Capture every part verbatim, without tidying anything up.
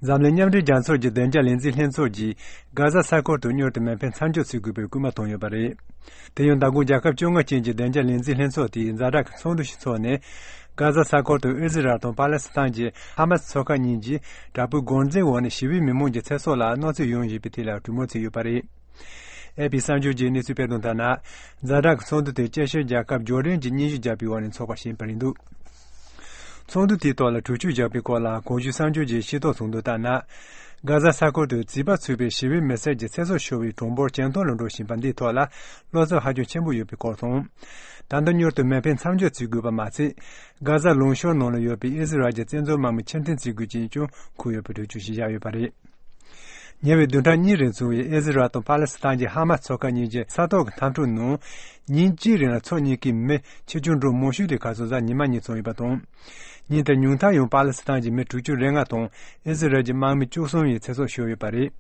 འཛམ་གླིང་མཉམ་འབྲེལ་རྒྱལ་ཚོགས་ཀྱི་བདེ་འཇགས་ལས་འཛིན་ལྷན་ཚོགས་ཀྱིས་གྷ་ཟ་ས་ཁུལ་དུ་མྱུར་དུ་མེ་འཕེན་མཚམས་འཇོག་བྱེད་དགོས་པའི་སྐུལ་མ་བཏང་ཡོད་པ་རེད། དེ་ཡང་མདང་དགོང་རྒྱལ་ཁབ་བཅོ་ལྔ་ཅན་གྱི་བདེ་འཇགས་ལས་འཛིན་ལྷན་ཚོགས་དེས་ཛ་དྲག་གི་ཚོགས་འདུ་ཞིག་འཚོགས་ནས། གྷ་ཟ་ས་ཁུལ་དུ་ཨི་ཟི་རལ་དང་པ་ལེ་སི་ཐན་གྱི་ཧ་མ་སི་ཚོགས་ཁག་གཉིས་ཀྱིས་དྲག་པོའི་རྒོལ་འཛིང་འོག་ནས་ཞི་བའི་མི་མང་གི་ཚེ་སྲོག་ལ་གནོད་འཚེ་ཡོང་བཞིན་པའི་ཐད་ལ་གྲོས་མོལ་བྱས་ཡོད་པ་རེད། ཨེ་པི་གསར་འགྱུར་གྱིས་གནས་ཚུལ་སྤེལ་དོན་ལྟར་ན། ཛ་དྲག་གི་ཚོགས་འདུ་དེ་ཅེ་ཤེར་རྒྱལ་ཁབ་ཇོར་ཌན་གྱིས་སྙན་ཞུ་བརྒྱབ་པའི་འོག་ནས་འཚོགས་པ་ཞིག་ཡིན་པ་རེད་འདུག་ཚོགས་འདུ་དེའི་ཐོག་ལ་གྲོས་ཆོད་བཞག་པའི་སྐོར་ལ་གོང་ཞུས་གསར་འགྱུར་གྱིས་ཤེས་རྟོགས་བྱུང་དོན་ལྟར་ན། གྷ་ཟ་ས་ཁུལ་དུ་བྱིས་པ་ཚུད་པའི་ཞི་བའི་མི་སེར་གྱི་ཚེ་སྲོག་ཤོར་བའི་གྲངས་འབོར་ཇེ་མཐོ་རུ་འགྲོ་བཞིན་པ་འདིའི་ཐོག་ལ་བློ་འཚབ་ཧ་ཅང་ཆེན་པོ་ཡོད་པའི་སྐོར་དང་། ད་ལྟ་མྱུར་དུ་མེ་འཕེན་མཚམས་འཇོག་བྱེད་དགོས་པ་མ་ཚད། གྷ་ཟ་ལུང་གཤོང་ནང་ལ་ཡོད་པའི་ཨི་ཟི་རལ་གྱི་བཙན་འཛུལ་དམག་མི་ཕྱིར་འཐེན་བྱེད་དགོས་ཅེས་ཀྱང་འཁོད་ཡོད་པའི་གྲོས་ཆོད་ཞིག་བཞག་ཡོད་པ་རེད། ཉེ་བའི་བདུན་ཕྲག་གཉིས་རིང་བྱུང་བའི་ཨི་ཟི་རལ་དང་པ་ལེ་སི་ཐན་གྱི་ཧ་མ་སི་ཚོགས་ཁག་གཉིས་ཀྱི་ས་ཐོག་གི་འཐབ་འཁྲུག་ནང་། ཉིན་གཅིག་རིང་ལ་ཕྱོགས་གཉིས་ཀའི་མི་ཆེ་ཆུང་འགྲོ་མང་ཤོས་དེ་གར་སོང་གཟའ་ཉི་མ་ཉིན་བྱུང་ཡོད་པ་དང་། ཉིན་དེར་ཉུང་མཐར་ཡང་པ་ལེ་སི་ཐན་གྱི་མི་དྲུག་ཅུ་རེ་ལྔ་དང་ཨི་ཟི་རལ་གྱི་དམག་མི་བཅུ་གསུམ་ཡི་ཚེ་སྲོག་ཤོར་ཡོད་པ་རེད།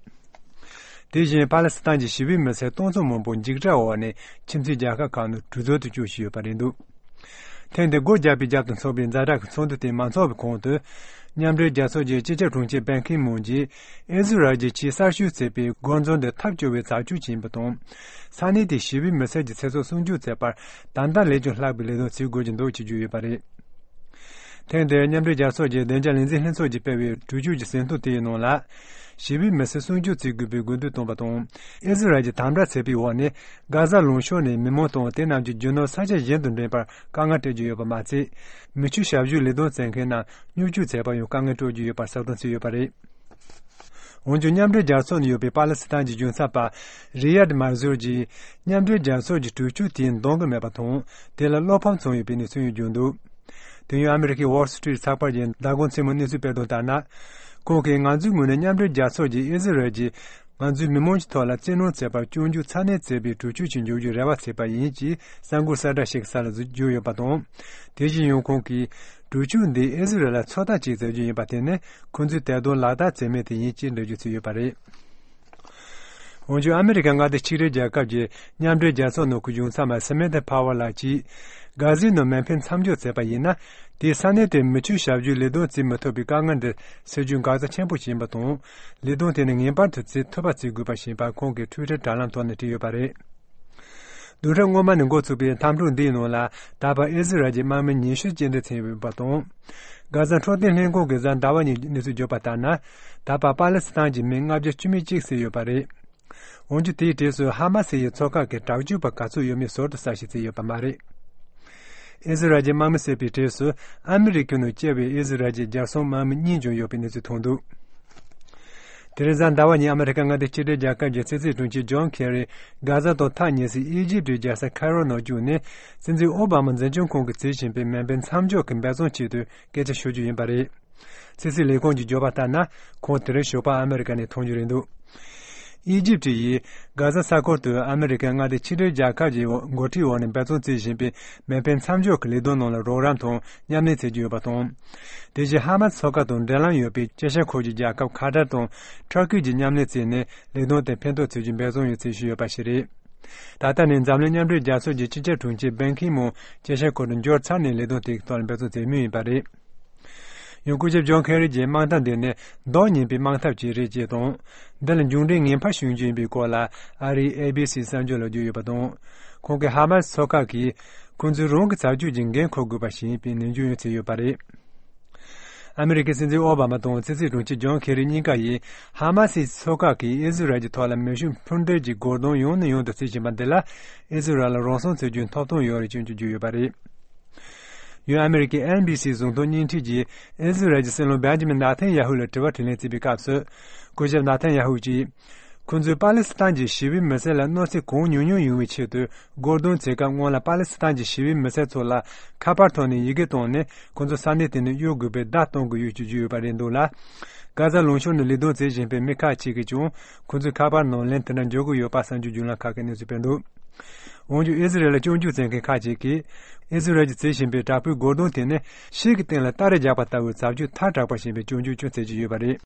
དེ་བཞིན་པ་ལེ་སི་ཐན་གྱི་ཞི་བའི་མི་སེར་སྟོང་ཚོ་མང་པོ་འཇིགས་སྐྲག་འོག་ནས་ཁྱིམ་མཚེས་རྒྱལ་ཁབ་ཁག་ནང་གྲོས་བསྡུར་དུ་བསྐྱོད་བཞིན་ཡོད་པ་རེད་འདུག་ཐེངས་འདིར་སྒོ་བརྒྱབ་པའི་རྒྱབ་ཏུ་འཚོགས་པའི་ཛ་དྲག་གི་ཚོགས་འདུ་དེ་མ་འཚོགས་པའི་གོང་དུ། མཉམ་འབྲེལ་རྒྱལ་ཚོགས་ཀྱི་སྤྱི་ཁྱབ་དྲུང་ཆེ་པན་ཁི་མུན་གྱིས་ཨི་ཟི་རལ་གྱིས་ཆེས་གསར་ཤོས་བྱས་པའི་རྒོལ་འཛིང་དེ་ཐབས་སྐྱོ་བའི་བྱ་སྤྱོད་ཅིག་ཡིན་པ་དང་། ས་གནས་དེའི་ཞི་བའི་མི་སེར་གྱི་ཚེ་སྲོག་སྲུང་སྐྱོབ་བྱེད་པར་ད་ལྟ་ལས་ཀྱང་ལྷག་པའི་ལས་དོན་བྱེད་དགོས་ཀྱི་འདུག་ཅེས་བརྗོད་ཡོད་པ་རེད། ཐེངས་འདིར་མཉམ་འབྲེལ་རྒྱལ་ཚོགས་ཀྱི་བདེ་འཇགས་ལས་འཛིན་ལྷན་ཚོགས་ཀྱིས་སྤེལ་བའི་གྲོས་ཆོད་ཀྱི་ཟིན་ཐོ་དེའི་ནང་ལ། ཞི་བའི་མི་སེར་སྲུང་སྐྱོབ་བྱེད་དགོས་པའི་དགོས་འདུན་བཏོན་པ་དང་། ཨི་ཟི་རལ་གྱིས་དམ་དྲག་བྱས་པའི་འོག་ནས། གྷ་ཟ་ལུང་གཤོང་ནས་མི་མང་དང་དེ་རྣམས་ཀྱི་རྒྱུ་ནོར་ས་ཆ་གཞན་དུ་འདྲེན་པར་དཀའ་ངལ་སྤྲད་ཀྱི་ཡོད་པ་མ་ཚད། མི་ཆོས་ཞབས་ཞུའི་ལས་དོན་བྱེད་མཁན་རྣམས་སྙོབ་སྒྱུར་བྱེད་པར་ཡང་དཀའ་ངལ་སྤྲོད་ཀྱི་ཡོད་པར་གསལ་སྟོན་བྱས་ཡོད་པ་རེད། འོན་ཀྱང་མཉམ་འབྲེལ་རྒྱལ་ཚོགས་ནང་ཡོད་པའི་པ་ལེ་སི་ཐན་གྱི་གཞུང་ཚབ་པ་རི་ཡད་མར་ཟུར་གྱིས་མཉམ་འབྲེལ་རྒྱལ་ཚོགས་ཀྱི་གྲོས་ཆོད་དེའི་འདང་གི་མེད་པ་དང་། དེ་ལ་བློ་ཕམ་བྱུང་ཡོད་པའི་གནས་ཚུལ་ཡང་བརྗོད་འདུག་དེ་ཡང་ཨ་མི་རི་ཀའི་Wall Street་ཚགས་པར་གྱིས་མདང་དགོང་མཚན་མོ་གནས་ཚུལ་སྤེལ་དོན་ལྟར་ན། ཁོང་གིས་ང་ཚོའི་ངོས་ནས་མཉམ་འབྲེལ་རྒྱལ་ཚོགས་ཀྱིས་ཨི་ཟི་རལ་གྱིས་ང་ཚོའི་མི་མང་གི་ཐོག་ལ་བཙན་གནོན་བྱས་པར་སྐྱོན་བརྗོད་ཚ་ནན་བྱས་པའི་གྲོས་ཆོད་ཅིག་འཇོག་རྒྱུར་རེ་བ་བྱས་པ་ཡིན་ཅེས་གསར་འགོད་གསལ་བསྒྲགས་ཤིག་གི་ས་ལ་བརྗོད་ཡོད་པ་དང་། དེ་བཞིན་ཡང་ཁོང་གིས་གྲོས་ཆོད་འདིས་ཨི་ཟི་རལ་ལ་ཚོད་ལྟ་ཅིག་བྱ་རྒྱུ་ཡིན་པ་དེ་ནི་ཁོང་ཚོས་དེ་དོན་ལག་བསྟར་བྱས་མེད་དེ་ཡིན་ཅེས་འགྲེལ་བརྗོད་བྱས་ཡོད་པ་རེད། འོན་ཀྱང་ཨ་མི་རི་ཀའི་མངའ་སྡེ་ཆིག་སྒྲིལ་རྒྱལ་ཁབ་ཀྱི་མཉམ་འབྲེལ་རྒྱལ་ཚོགས་ནང་གི་གཞུང་ཚབ་མ་སི་མེ་ཐ་ཕ་ཝར་ལགས་ཀྱིས། གྷ་ཟའི་ནང་མེ་འཕེན་མཚམས་འཇོག་བྱས་པ་ཡིན་ན། དེས་ས་གནས་དེར་མི་ཆོས་ཞབས་ཞུའི་ལས་དོན་བྱེད་མི་ཐུབ་པའི་དཀའ་ངལ་འདི་སེལ་རྒྱུར་འགག་རྩ་ཆེན་པོ་ཞིག་ཡིན་པ་དང་། ལས་དོན་དེ་ནི་ངེས་པར་དུ་བྱེད་ཐུབ་པ་བྱེད་དགོས་པ་ཞེས་པ་ཁོང་གིས་ཊུའི་ཊར་དྲ་ལམ་ཐོག་ནས་བྲིས་ཡོད་པ་རེད། བདུན་ཕྲག་སྔོན་མ་ནས་འགོ་ཚུགས་པའི་འཐབ་འཁྲུག་འདིའི་ནང་ལ་ད་བར་ཨི་ཟི་རལ་གྱི་དམག་མི་ཉི་ཤུ་རྐྱེན་འདས་ཕྱིན་ཡོད་པ་དང་། གྷ་ཟ་འཕྲོད་བསྟེན་ལྷན་ཁང་གིས་གཟའ་ཟླ་བ་ཉིན་གནས་ཚུལ་བརྗོད་པ་ལྟར་ན། ད་བར་པ་ལེ་སི་ཐན་གྱི་མི་ལྔ་བརྒྱ་བཅུ་མེད་གཅིག་བསད་ཡོད་པ་རེད། འོན་ཀྱང་དེའི་གྲས་སུ་ཧ་མ་སི་ཡི་ཚོགས་ཁག་གི་དྲག་སྤྱོད་པ་ག་ཚོད་ཡོད་མེད་ཟུར་དུ་གསལ་བཤད་བྱས་ཡོད་པ་མ་རེད། ཨི་ཟི་རལ་གྱི་དམག་མི་བསད་པའི་གྲས་སུ་ཨ་མི་རི་ཀའི་ནང་སྐྱེས་པའི་ཨི་ཟི་རལ་གྱི་རྒྱལ་སྲུང་དམག་མི་གཉིས་ཀྱང་ཡོད་པའི་གནས་ཚུལ་ཐོན་འདུག་དེ་རིང་གཟའ་ཟླ་བ་ཉིན་ཨ་མི་རི་ཀ་མངའ་སྡེ་ཕྱི་འབྲེལ་རྒྱལ་ཁབ་ཀྱི་ཕྱི་སྲིད་དྲུང་ཆེ་ཇོན་ཁེ་རི་གྷ་ཟ་དང་ཐག་ཉེ་སའི་ཨི་ཇིབ་ཀྱི་རྒྱལ་ས་ཁའི་རོ་ནང་བསྐྱོད་ནས། སྲིད་འཛིན་ཨོ་བྷ་མ་འཛིན་སྐྱོང་ཁང་གིས་བྱེད་བཞིན་པའི་མེ་འཕེན་མཚམས་འཇོག་གི་འབད་བརྩོན་ཆེད་དུ་སྐད་ཆ་ཤོད་རྒྱུ་ཡིན་པ་རེད། ཕྱི་སྲིད་ལས་ཁུངས་ཀྱིས་བརྗོད་པ་ལྟར་ན། ཁོང་དེ་རིང་ཞོགས་པ་ཨ་མི་རི་ཀ་ནས་ཐོན་རྒྱུ་རེད་འདུག་ཨི་ཇིབ་ཀྱིས་གྷ་ཟ་ས་ཁུལ་དུ་ཨ་མི་རི་ཀའི་མངའ་སྡེ་ཕྱི་འབྲེལ་རྒྱལ་ཁབ་ཀྱི་འགོ་ཁྲིད་འོག་ནས་འབད་བརྩོན་བྱེད་བཞིན་པའི་མེ་འཕེན་མཚམས་འཇོག་གི་ལས་དོན་ནང་ལ་རོགས་རམ་དང་མཉམ་ལས་བྱེད་ཀྱི་ཡོད་པ་དང་། དེ་བཞིན་ཧ་མ་སི་ཚོགས་ཁག་དང་འབྲེལ་ལམ་ཡོད་པའི་ཅེ་ཤ་ཁུལ་གྱི་རྒྱལ་ཁབ་ཁ་ཏར་དང་ཐུར་ཁེ་གྱིས་མཉམ་ལས་བྱས་ནས་ལས་དོན་དེ་ཕན་ཐོགས་བྱེད་རྒྱུའི་འབད་བརྩོན་ཡང་བྱེད་བཞིན་ཡོད་པ་ཞིག་རེད། ད་ལྟ་ནས་འཛམ་གླིང་མཉམ་འབྲེལ་རྒྱལ་ཚོགས་ཀྱི་སྤྱི་ཁྱབ་དྲུང་ཆེ་པན་ཁི་མུན་ཅེ་ཤ་ཁུལ་དུ་འབྱོར་ཚར་ནས་ལས་དོན་དེ་གི་ཐོག་ལ་འབད་བརྩོན་བྱེད་མུས་ཡིན་པ་རེད། ཡང་སྐུ་ཞབས་ཇོན་ཁེ་རི་གྱིས་དམག་འཐབ་འདི་ནི་ལྡོག་ཉེན་པའི་དམག་འཐབ་ཅིག་རེད་ཅེས་དང་། འདི་ལ་མཇུག་འབྲས་ངན་པ་བྱུང་རྒྱུ་ཡིན་པའི་སྐོར་ལ་ཨ་རིའི་ཨེ་བྷི་སི་གསར་འགྱུར་ལ་བརྗོད་ཡོད་པ་དང་། ཁོང་གིས་ཧ་མ་སི་ཚོགས་ཁག་གིས་ཁོང་ཚོས་རང་གི་བྱ་སྤྱོད་ཀྱི་འགན་འཁུར་དགོས་པ་ཞིག་ཡིན་པའི་ནན་སྐྱོན་ཡང་བྱས་ཡོད་པ་རེད། ཨ་མི་རི་ཀའི་སྲིད་འཛིན་ཨོ་བྷ་མ་དང་ཕྱི་སྲིད་དྲུང་ཆེ་ཇོན་ཁེ་རི་གཉིས་ཀ་ཡིས་ཧ་མ་སི་ཚོགས་ཁག་གིས་ཨི་ཟི་རལ་གྱི་ཐོག་ལ་མེ་ཤུགས་འཕུར་མདེལ་གྱི་རྒོལ་རྡུང་ཡང་ནས་ཡང་དུ་བྱེད་བཞིན་པ་འདི་ལ་ཨི་ཟི་རལ་ལ་རང་སྲུང་བྱེད་རྒྱུའི་ཐོབ་ཐང་ཡོད་རེད་ཅེས་བརྗོད་ཡོད་པ་རེད། ཡང་ཨ་མི་རི་ཀའི་ཨེན་བྷི་སི་གཟུགས་མཐོང་བརྙན་འཕྲིན་གྱིས་ཨི་ཟི་རལ་གྱི་སྲིད་བློན་བེན་ཇི་མིན་ནཱ་ཐན་ཡ་ཧུ་ལ་དྲི་བ་དྲིས་ལན་བྱས་པའི་སྐབས་སུ། སྐུ་ཞབས་ནཱ་ཐན་ཡ་ཧུ་གྱིས། ཁོང་ཚོས་པ་ལེ་སི་ཐན་གྱི་ཞི་བའི་མི་སེར་ལ་གནོད་འཚེ་གང་ཉུང་ཉུང་ཡོང་བའི་ཆེད་དུ་རྒོལ་རྡུང་བྱེད་སྐབས་སྔོན་ལ་པ་ལེ་སི་ཐན་གྱི་ཞི་བའི་མི་སེར་ཚོ་ལ་ཁ་པར་ཐོག་ནས་ཡི་གེ་བཏང་ནས་ཁོང་ཚོ་ས་གནས་དེ་ནས་གཡོལ་དགོས་པའི་བརྡ་གཏོང་དགོས་ཡོད་ཅེས་བརྗོད་ཡོད་པ་རེད་འདུག་ལ། གྷ་ཟ་ལུང་གཤོང་ནས་ལས་དོན་བྱེད་བཞིན་པའི་མི་ཁག་ཅིག་གིས་ཀྱང་ཁོང་ཚོའི་ཁ་པར་ནང་ལན་དེ་འདྲ་འབྱོར་གྱི་ཡོད་པ་གསར་འགྱུར་བརྒྱུད་ལམ་ཁག་གིས་གནས་ཚུལ་སྤེལ་འདུག་འོན་ཀྱང་ཨི་ཟི་རལ་ལ་སྐྱོན་བརྗོད་བྱེད་མཁན་ཁག་ཅིག་གིས་ཨི་ཟི་རལ་གྱིས་བྱེད་བཞིན་པའི་དྲག་པོའི་རྒོལ་རྡུང་དེ་ནི་ཤིག་གི་སྟེང་ལ་སྟ་རེ་རྒྱག་པ་ལྟ་བུའི་བྱ་སྤྱོད་ཐལ་དྲགས་པ་ཞིག་ཡིན་པའི་སྐྱོན་བརྗོད་ཀྱང་བྱེད་ཀྱི་ཡོད་པ་རེད།